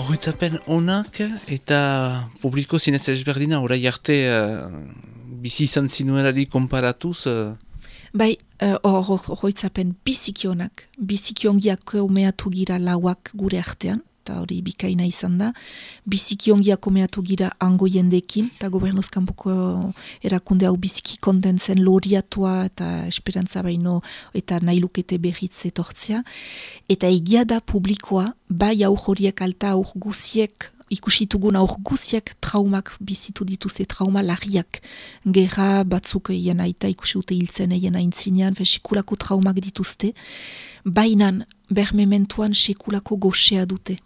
Horretzapen onak eta publiko zinez ezberdina, orai arte bizi izan zinuelari konparatuz. Bai, horretzapen biziki onak, biziki ongiak omeatu gira lauak gure artean, eta hori bikaina izan da. Biziki ongiak omeatu gira hango jendekin, eta gobernuzkanpoko erakunde hau biziki kontentzen loriatua eta esperantza baino eta nahi lukete berriz etortzea. Eta egia da publikoa, bai aur horiek alta aur guziek, ikusitugun aur guziak traumak bizitu dituzte, trauma larriak. Gerra batzuk eien aita ikusiute hiltzen eien aintzinean, sekulako traumak dituzte. Bainan, bermementuan sekulako goxea dute.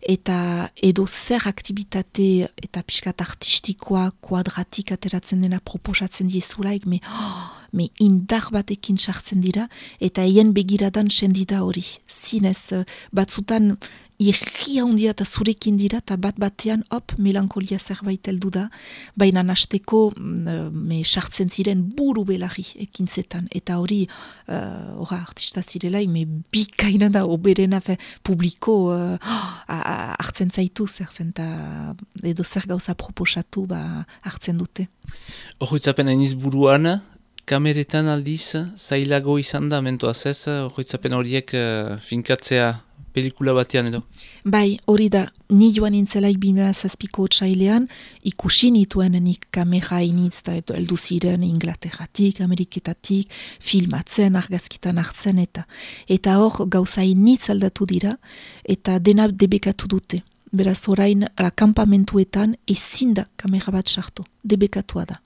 Eta edo zer aktivitate eta pixkat artistikoa, kuadratik ateratzen dena proposatzen diezulaik, me indar batekin sartzen dira, eta eien begiradan sendida hori. Zinez, batzutan irria handia eta zurekin dira, eta bat-batean, melankolia zerbait heldu da, baina hasteko sartzen ziren buru belarri ekintzetan, eta hori, artista zirela, bikaina da, oberena, publiko hartzen zaitu, edo zer gauza proposatu, hartzen dute. Horretzapen hainiz buruan, kameretan aldiz, zailago izan da, mentoaz ez, horretzapen horiek finkatzea pelikula batean edo? Bai, hori da, ni joan nintzelaik 2007ko otsailean, ikusi nituen nik kamera initz eta heldu ziren Inglaterratik, Ameriketatik, filmatzen, argazkitan hartzen eta hor gauza initz aldatu dira, eta dena debekatu dute. Beraz, orain, akampamentuetan ezin da kamera bat sartu, debekatua da.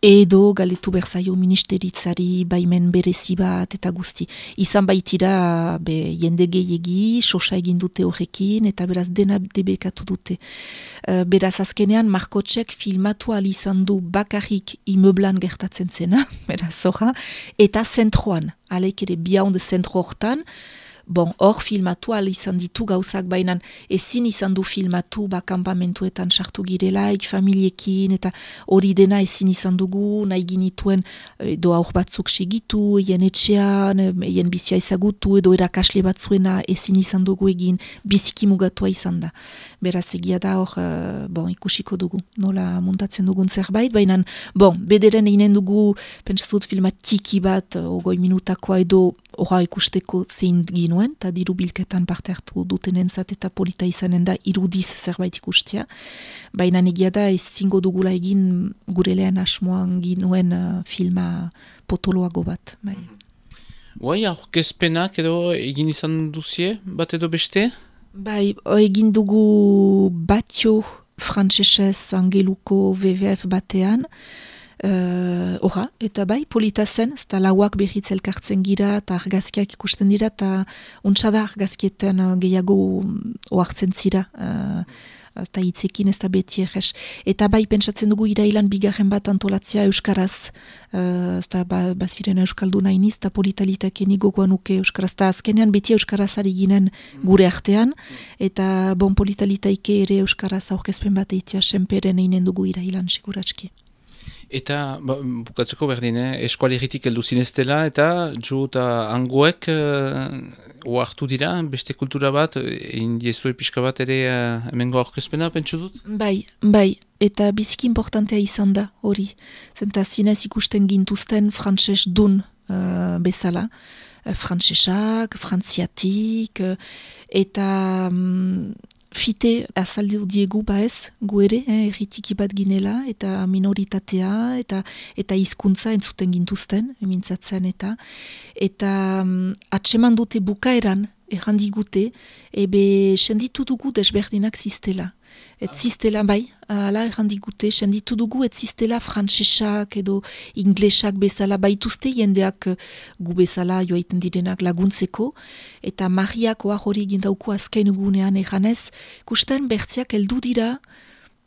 Edo galetu berzaio ministeritzari baimen berezi bat eta guzti. Izan baitira jende gehiegi, sosa egin dute horrekin eta beraz dena debekatu dute. Beraz azkenean Markotsek filmatu izan du bakarrik imeublan gertatzen zena, beraz zorra, eta zentroan, aleik ere biaunde zentro hortan, hor filmatu izan ditu gauzak bainan ezin izan du filmatu kampamentuetan sartu girelaik, familiekin eta hori dena ezin izan dugu, nahi ginituen edo aur batzuk segitu, eien etxean, eien bizia ezagutu edo erakasle batzuena ezin izan dugu egin, biziki mugatua izan da. Beraz egia da hor, ikusiko dugu, nola muntatzen dugun zerbait, bainan, bederen einen dugu, pentsazut filmat tiki bat, 20 minutakoa edo horra ikusteko zein ginuen, eta diru bilketan parte hartu dutenentzat eta polita izanen da irudiz zerbait ikustia. Baina egia da ezingo dugula egin gure lehen asmoan ginuen filma potoloago bat. Bai, aurkezpenak edo egin izan duzie, bat edo beste? Bai, egin dugu batio frantsesez angeluko WWF batean, eta bai, polita zen, eta lauak berriz elkartzen gira, eta argazkiak ikusten dira, eta untsa da argazkietan gehiago oartzen zira, eta hitzekin ez da beti egez. Eta bai, pentsatzen dugu irailan bigarren bat antolatzea euskaraz, eta baziren euskalduna iniz, eta politalitake gogoan uke euskaraz, eta azkenean beti euskaraz ari ginen gure artean, eta politalitake ere euskaraz aurkezpen bat eitea senperen einen dugu irailan siguratski. Eta, bukatzeko berdin, eskualeritik heldu zineztela, eta jo eta hangoek oartu dira, beste kultura bat, indiezue pixka bat ere hemengo aurkezpena, pentsu dut? Bai, eta biziki importantea izan da hori. Zenta zinez ikusten gintuzten frantses dun bezala. Frantsesak, frantziatik, eta fite azaldu diegu ez, gu ere, erritiki bat ginela, eta minoritatea, eta hizkuntza entzuten gintuzten, emintzatzen eta atseman dute bukaeran, errandigute, senditu dugu desberdinak ziztela. Et ziztela bai, ala errandigute, senditu dugu et ziztela frantsesak edo inglesak bezala, baituzte jendeak gu bezala joaiten direnak laguntzeko, eta Mariak oa hori gindauko azken egunean eganez, kusten bertziak heldu dira,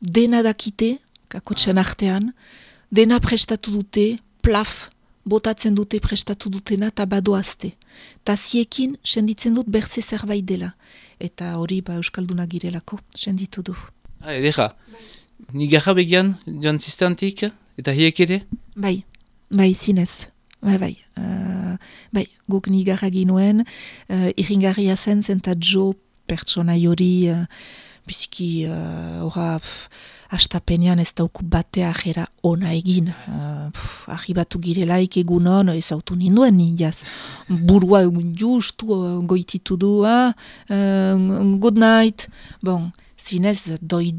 dena dakite, kakotxen artean, dena prestatu dute, plaf, botatzen dute prestatu dutena eta badoazte. Taziekin senditzen dut bertze zerbait dela. Eta hori euskalduna girelako, senditu du. Edera, ni garra begian joan ziztantik, eta hiek ere? Bai, zinez. Bai, guk nigarra ginuen, irringarria zen, zenta jo pertsona hori biziki, astapenean ez dauku batea jera ona egin. Arribatu girelaik egunon, ez autu ninduen nindaz. Burua justu goititu du, good night. Bon, zinez, doi,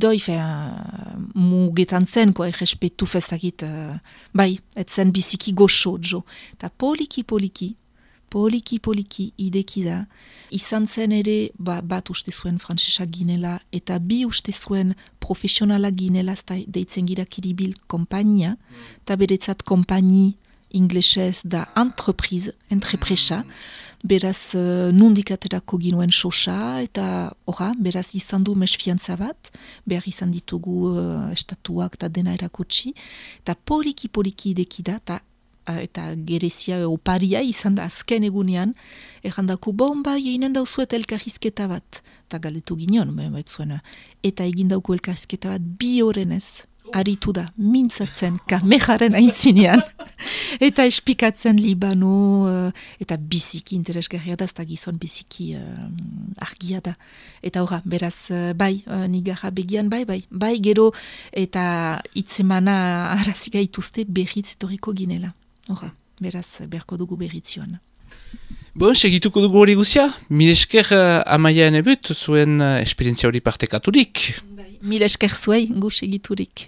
mugetan zen, errespetu fezakit, bai, etzen biziki goxo, jo. Ta poliki, ideki da. Izan zen ere, bat uste zuen frantsesa ginela, eta bi uste zuen profesionala ginela, deitzen gira Kiribil kompainia, eta beretzat kompaini inglesez da entrepresa, beraz nundik aterako ginuen sosa, eta beraz izan du mesfiantza bat, behar izan ditugu estatuak eta dena erakutsi, eta poliki ideki da, eta gerezia oparia izan da azken egunean, errandako bomba eginen dauzuet elkarrizketa bat, eta galdetu ginen, eta egin dauku elkarrizketa bat 2 horrenez, aritu da, mintzatzen kamejaren aintzinean, eta espikatzen Libano, eta biziki interesgarria da, eta gizon biziki argia da. Eta beraz, nigarra begian, bai, gero, eta itzemana arazik gaituzte berriz etorriko ginela. Beraz, berko dugu berritzioan. Bon, segituko dugu hori guzia. Mil esker Amaia Enebut, zuen esperientzia hori partekaturik. Mil esker zuei, gu segiturik.